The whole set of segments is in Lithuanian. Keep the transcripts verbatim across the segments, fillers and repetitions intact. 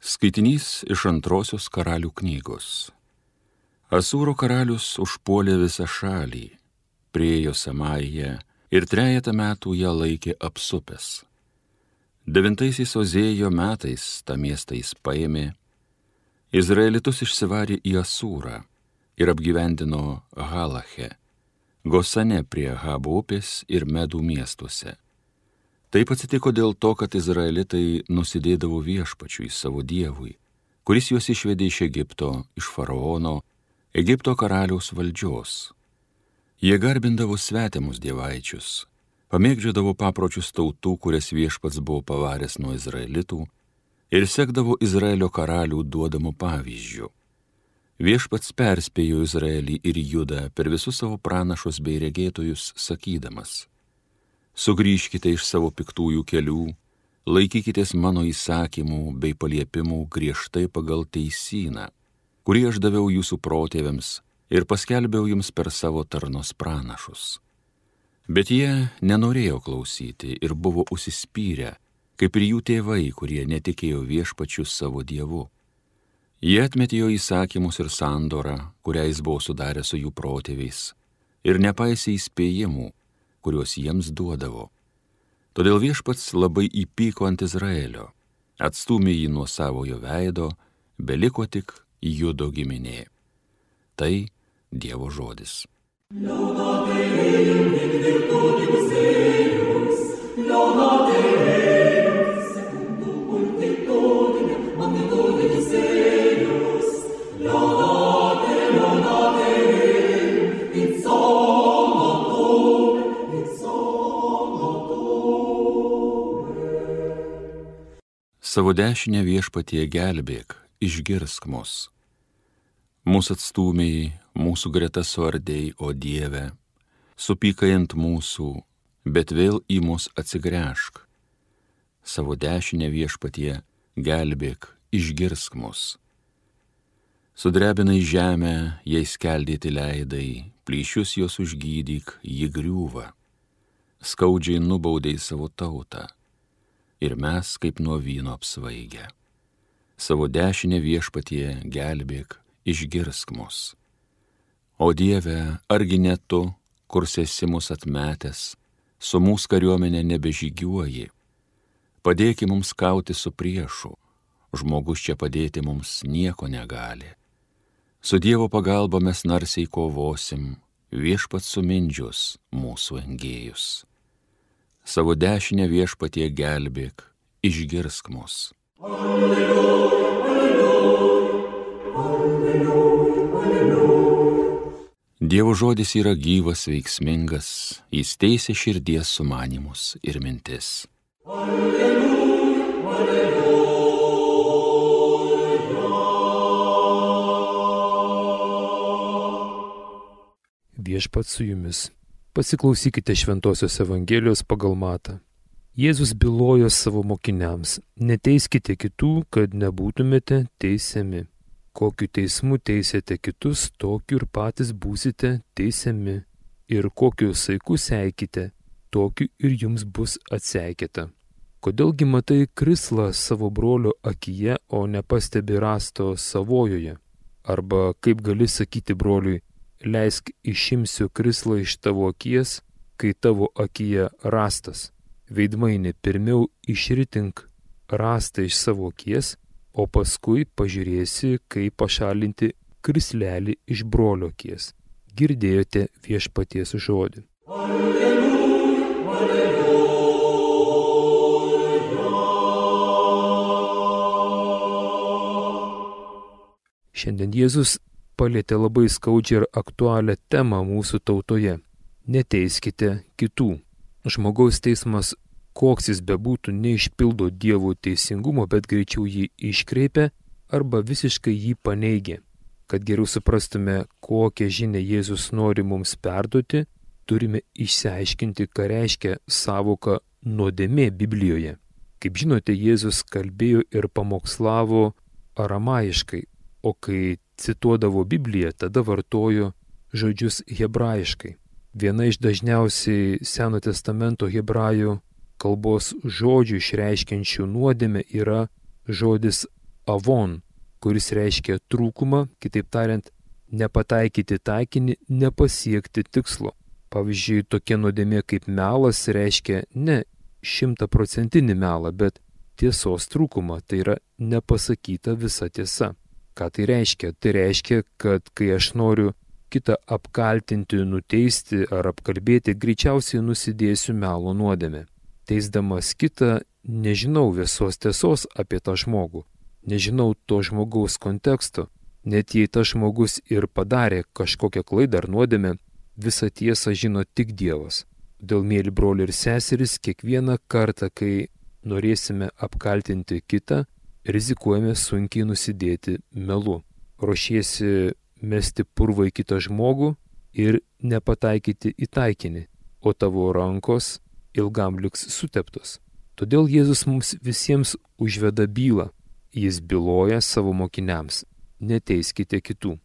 Skaitinys iš antrosios karalių knygos. Asūro karalius užpuolė visą šalį, priėjo Samariją ir trejetą metų ją laikė apsupęs. Devintaisiais Ozėjo metais tą miestą jis paėmė, Izraelitus išsivarė į Asūrą ir apgyvendino Halache, Gosane prie Ahabo upės ir Medų miestuose. Taip atsitiko dėl to, kad izraelitai nusidėdavo viešpačiui savo dievui, kuris juos išvedė iš Egipto, iš faraono, Egipto karaliaus valdžios. Jie garbindavo svetimus dievaičius, pamėgdžiodavo papročius tautų, kurias viešpats buvo pavaręs nuo izraelitų, ir sekdavo Izraelio karalių duodamų pavyzdžių. Viešpats perspėjo Izraelį ir Judą per visus savo pranašus bei regėtojus, sakydamas: Sugrįžkite iš savo piktųjų kelių, laikykitės mano įsakymų bei paliepimų griežtai pagal teisyną, kurį aš daviau jūsų protėviams ir paskelbiau jums per savo tarnos pranašus. Bet jie nenorėjo klausyti ir buvo užsispyrę, kaip ir jų tėvai, kurie netikėjo viešpačiu savo dievu. Jie atmetė jo įsakymus ir sandorą, kurią jis buvo sudaręs su jų protėviais, ir nepaisė įspėjimų, kuriuos jiems duodavo. Todėl viešpats labai įpyko ant Izraelio, atstūmė jį nuo savojo veido, beliko tik Judo giminė. Tai Dievo žodis. Savo dešinę viešpatie gelbėk, išgirsk mus. Mūsų atstūmiai, mūsų greta suardei, o Dieve, supykai ant mūsų, bet vėl į mus atsigręžk. Savo dešinę viešpatie gelbėk, išgirsk mus. Sudrebinai žemę, jai skeldėti leidai, plyšius jos užgydyk, ji griūva. Skaudžiai nubaudei savo tautą. Ir mes kaip nuo vyno apsvaigę. Savo dešinę viešpatie gelbėk, išgirsk mus. O Dieve, argi ne tu, kur esi mus atmetęs, su mūsų kariuomenė nebežygiuoji. Padėki mums kauti su priešu, žmogus čia padėti mums nieko negali. Su Dievo pagalba mes narsiai kovosim, viešpats sumindžius mūsų engėjus. Savo dešinę viešpatie gelbėk, išgirsk mus. Alleluja, alleluja, alleluja, alleluja. Dievo žodis yra gyvas, veiksmingas, jis teisia širdies sumanymus ir mintis. Alleluja, alleluja. Viešpats su jumis. Pasiklausykite Šventosios Evangelijos pagal Matą. Jėzus bylojo savo mokiniams: neteiskite kitų, kad nebūtumėte teisiami. Kokiu teismu teisėte kitus, tokiu ir patys būsite teisiami. Ir kokiu saiku seikite, tokiu ir jums bus atseikėta. Kodėlgi matai krislą savo brolio akyje, o nepastebi rąsto savojoje? Arba kaip gali sakyti broliui: leisk išimsiu krislą iš tavo akies, kai tavo akyje rąstas. Veidmaini, pirmiau išritink rąstą iš savo akies, o paskui pažiūrėsi, kaip pašalinti krislelį iš brolio akies. Girdėjote viešpaties žodį. Alleluja, alleluja. Šiandien Jėzus palietė labai skaudžią ir aktualią temą mūsų tautoje. Neteiskite kitų. Žmogaus teismas, koks jis bebūtų, neišpildo Dievo teisingumo, bet greičiau jį iškreipia arba visiškai jį paneigia. Kad geriau suprastume, kokią žinią Jėzus nori mums perduoti, turime išsiaiškinti, ką reiškia sąvoka nuodėmė Biblijoje. Kaip žinote, Jėzus kalbėjo ir pamokslavo aramaiškai, o kai cituodavo Bibliją, tada vartojo žodžius hebrajiškai. Viena iš dažniausiai Seno testamento hebrajų kalbos žodžių išreiškiančių nuodėmę yra žodis avon, kuris reiškia trūkumą, kitaip tariant, nepataikyti taikinį, nepasiekti tikslo. Pavyzdžiui, tokia nuodėmė kaip melas reiškia ne šimtaprocentinį melą, bet tiesos trūkumą, tai yra nepasakyta visa tiesa. Ką tai reiškia? Tai reiškia, kad kai aš noriu kitą apkaltinti, nuteisti ar apkalbėti, greičiausiai nusidėsiu melo nuodėmę. Teisdamas kitą, nežinau visos tiesos apie tą žmogų, nežinau to žmogaus konteksto, net jei tas žmogus ir padarė kažkokią klaidą ar nuodėmę, visą tiesą žino tik Dievas. Dėl mėly broliai ir seserys, kiekvieną kartą, kai norėsime apkaltinti kitą, rizikuojame sunkiai nusidėti melu. Ruošiesi mesti purvą į kitą žmogų ir nepataikyti į taikinį, o tavo rankos ilgam liks suteptos. Todėl Jėzus mums visiems užveda bylą. Jis byloja savo mokiniams: neteiskite kitų.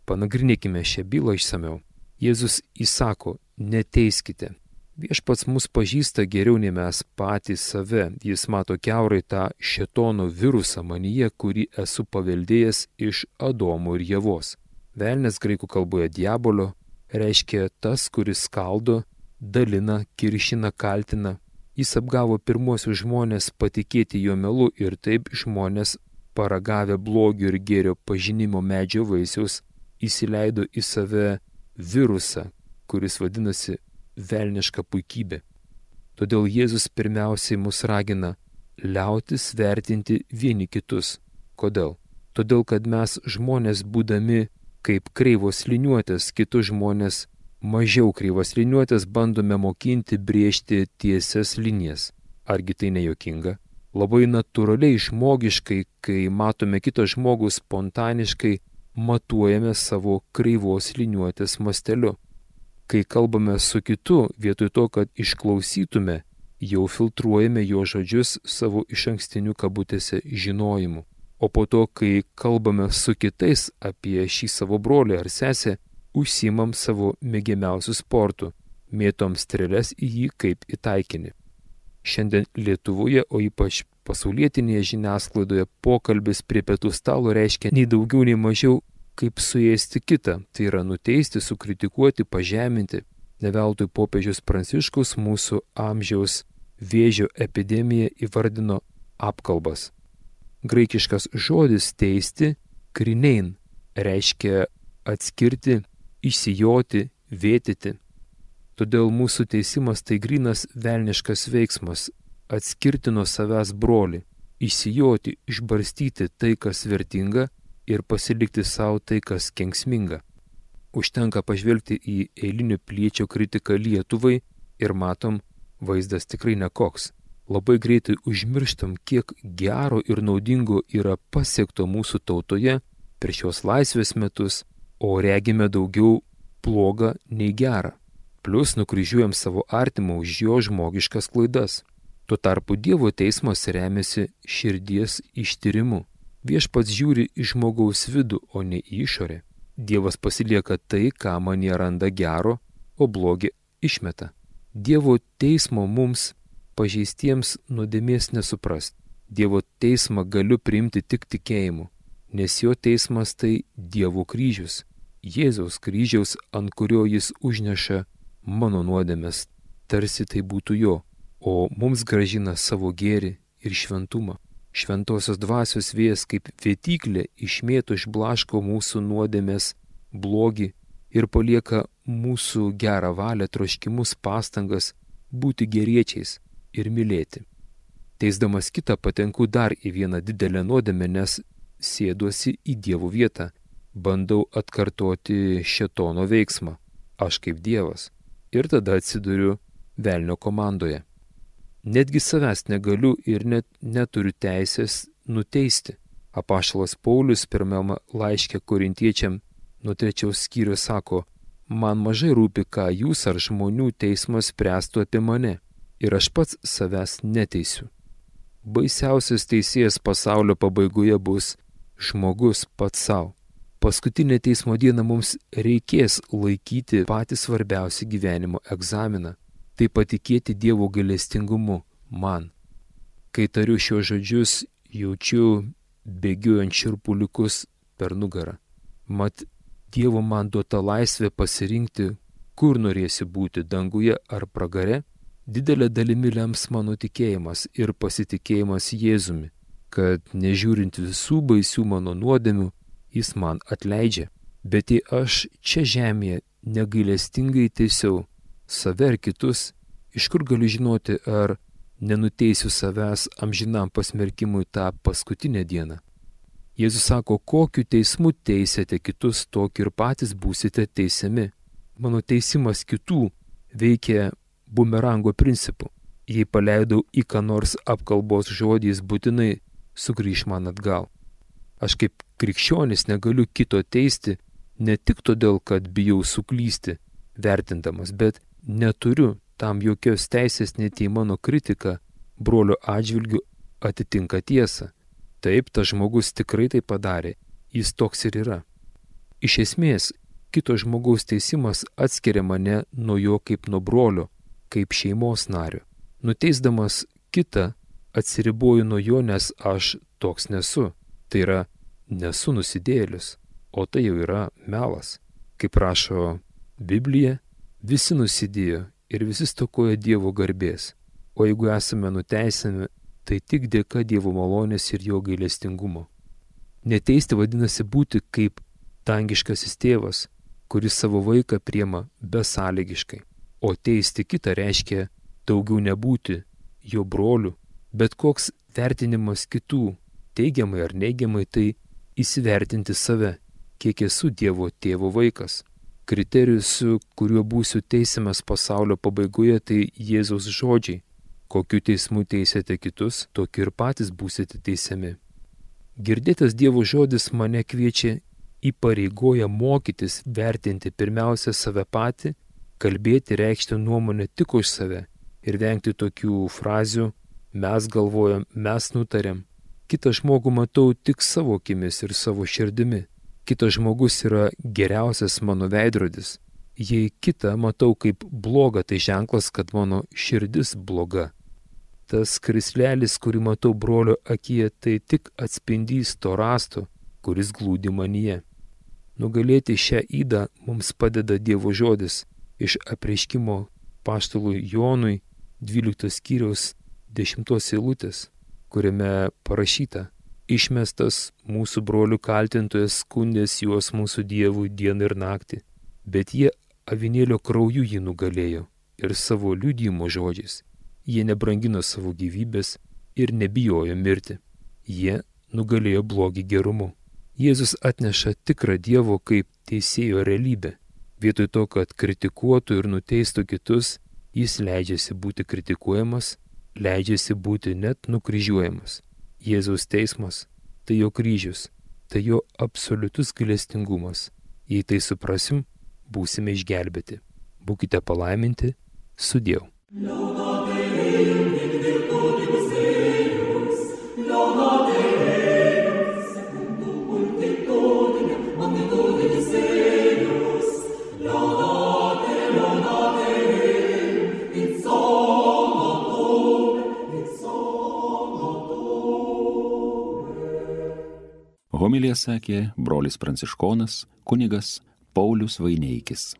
Panagrinėkime šią bylą išsamiau. Jėzus įsako: neteiskite. Viešpats mus pažįsta geriau nei mes patys save. Jis mato kiaurai tą šėtono virusą manyje, kurį esu paveldėjęs iš Adomo ir Ievos. Velnias graikų kalboje diabolio reiškia tas, kuris skaldo, dalina, kiršina, kaltina. Jis apgavo pirmuosius žmonės patikėti jo melu ir taip žmonės, paragavę blogio ir gėrio pažinimo medžio vaisiaus, įsileido į save virusą, kuris vadinasi velniška puikybė. Todėl Jėzus pirmiausiai mus ragina liautis vertinti vieni kitus. Kodėl? Todėl, kad mes žmonės būdami kaip kreivos liniuotės, kitus žmonės mažiau kreivos liniuotės bandome mokinti brėžti tiesias linijas. Argi tai nejuokinga? Labai natūraliai, žmogiškai, kai matome kitą žmogų, spontaniškai matuojame savo kreivos liniuotės masteliu. Kai kalbame su kitu, vietoj to, kad išklausytume, jau filtruojame jo žodžius savo išankstiniu kabutėse žinojimu. O po to, kai kalbame su kitais apie šį savo brolį ar sesę, užsiimam savo mėgiamiausių sportų, mėtom strėles į jį kaip į taikinį. Šiandien Lietuvoje, o ypač pasaulietinėje žiniasklaidoje, pokalbis prie pietų stalo reiškia nei daugiau, nei mažiau kaip suėsti kitą, tai yra nuteisti, sukritikuoti, pažeminti. Ne veltui popiežius Pranciškus mūsų amžiaus vėžio epidemiją įvardino apkalbas. Graikiškas žodis teisti, krinein, reiškia atskirti, išsijoti, vėtyti. Todėl mūsų teisimas tai grynas velniškas veiksmas - atskirti nuo savęs brolį, išsijoti, išbarstyti tai, kas vertinga, ir pasilikti savo tai, kas kenksminga. Užtenka pažvelgti į eilinio piliečio kritiką Lietuvai ir matom, vaizdas tikrai nekoks. Labai greitai užmirštam, kiek gero ir naudingo yra pasiekto mūsų tautoje per šios laisvės metus, o regime daugiau blogą nei gerą. Plius nukryžiuojam savo artimą už jo žmogiškas klaidas. Tuo tarpu Dievo teismas remiasi širdies ištyrimu. Viešpats žiūri į žmogaus vidų, o ne į išorę. Dievas pasilieka tai, ką manyje randa gero, o blogį išmeta. Dievo teismo mums pažeistiems nuodėmės nesuprast. Dievo teismą galiu priimti tik tikėjimu, nes jo teismas tai Dievo kryžius. Jėzaus kryžiaus, ant kurio jis užneša mano nuodėmės, tarsi tai būtų jo, o mums gražina savo gėrį ir šventumą. Šventosios dvasios vėjas kaip vėtyklė išmėto išblaško mūsų nuodėmės blogį ir palieka mūsų gerą valią, troškimus, pastangas būti geriečiais ir mylėti. Teisdamas kitą patenku dar į vieną didelę nuodėmę, nes sėduosi į Dievo vietą, bandau atkartoti šėtono veiksmą, aš kaip Dievas, ir tada atsiduriu velnio komandoje. Netgi savęs negaliu ir net neturiu teisės nuteisti. Apaštalas Paulius pirmame laiške korintiečiam nuo trečiaus skyrius sako: man mažai rūpi, ką jūs ar žmonių teismas spręstų apie mane, ir aš pats savęs neteisiu. Baisiausias teisėjas pasaulio pabaigoje bus žmogus pats savo. Paskutinę teismo dieną mums reikės laikyti patį svarbiausią gyvenimo egzaminą. Tai patikėti Dievo gailestingumu man. Kai tariu šios žodžius, jaučiu bėgiojant šiurpuliukus per nugarą. Mat, Dievo man duota laisvė pasirinkti, kur norėsi būti, danguje ar pragare, didelė dalimi lems mano tikėjimas ir pasitikėjimas Jėzumi, kad nežiūrint visų baisių mano nuodėmių, jis man atleidžia. Bet jei aš čia žemėje negailestingai teisiau save ar kitus, iš kur galiu žinoti, ar nenuteisiu savęs amžinam pasmerkimui tą paskutinę dieną? Jėzus sako, kokiu teismu teisėte kitus, tokiu ir patys būsite teisiami. Mano teisimas kitų veikia bumerango principu. Jei paleidau į ką nors apkalbos žodžiais, būtinai sugrįš man atgal. Aš kaip krikščionis negaliu kito teisti ne tik todėl, kad bijau suklysti, vertindamas, bet neturiu tam jokios teisės, net jei mano kritika brolio atžvilgiu atitinka tiesą. Taip, tas žmogus tikrai tai padarė, jis toks ir yra. Iš esmės, kito žmogaus teisimas atskiria mane nuo jo kaip nuo brolio, kaip šeimos nario. Nuteisdamas kitą, atsiriboju nuo jo, nes aš toks nesu. Tai yra, nesu nusidėjėlis, o tai jau yra melas. Kaip rašo Biblija, visi nusidėjo ir visi stokoja Dievo garbės. O jeigu esame nuteisiami, tai tik dėka Dievo malonės ir jo gailestingumo. Neteisti vadinasi būti kaip dangiškasis tėvas, kuris savo vaiką priima besąlygiškai. O teisti kitą reiškia daugiau nebūti jo broliu, bet koks vertinimas kitų, teigiamai ar neigiamai, tai įsivertinti save, kiek esu Dievo tėvo vaikas. Kriterijus, su kuriuo būsiu teisiamas pasaulio pabaigoje, tai Jėzaus žodžiai. Kokiu teismu teisėte kitus, tokiu ir patys būsite teisiami. Girdėtas Dievo žodis mane kviečia, įpareigoja mokytis vertinti pirmiausia save patį, kalbėti, reikšti nuomonę tik už save ir vengti tokių frazių mes galvojam, mes nutarėm. Kitą žmogų matau tik savo akimis ir savo širdimi. Kitas žmogus yra geriausias mano veidrodis. Jei kitą matau kaip blogą, tai ženklas, kad mano širdis bloga. Tas krislelis, kurį matau brolio akyje, tai tik atspindys to rasto, kuris glūdi manyje. Nugalėti šią ydą mums padeda Dievo žodis iš apreiškimo apaštalui Jonui dvyliktos skyriaus dešimtos eilutės, kuriame parašyta: išmestas mūsų brolių kaltintojas skundės juos mūsų Dievui dieną ir naktį, bet jie avinėlio krauju jį nugalėjo ir savo liudijimo žodžiais. Jie nebrangino savo gyvybės ir nebijojo mirti. Jie nugalėjo blogį gerumu. Jėzus atneša tikrą Dievo kaip teisėjo realybę. Vietoj to, kad kritikuotų ir nuteistų kitus, jis leidžiasi būti kritikuojamas, leidžiasi būti net nukryžiuojamas. Jėzaus teismas – tai jo kryžius, tai jo absoliutus gailestingumas. Jei tai suprasim, būsime išgelbėti. Būkite palaiminti, sudieu. Homiliją sakė brolis pranciškonas kunigas Paulius Vaineikis.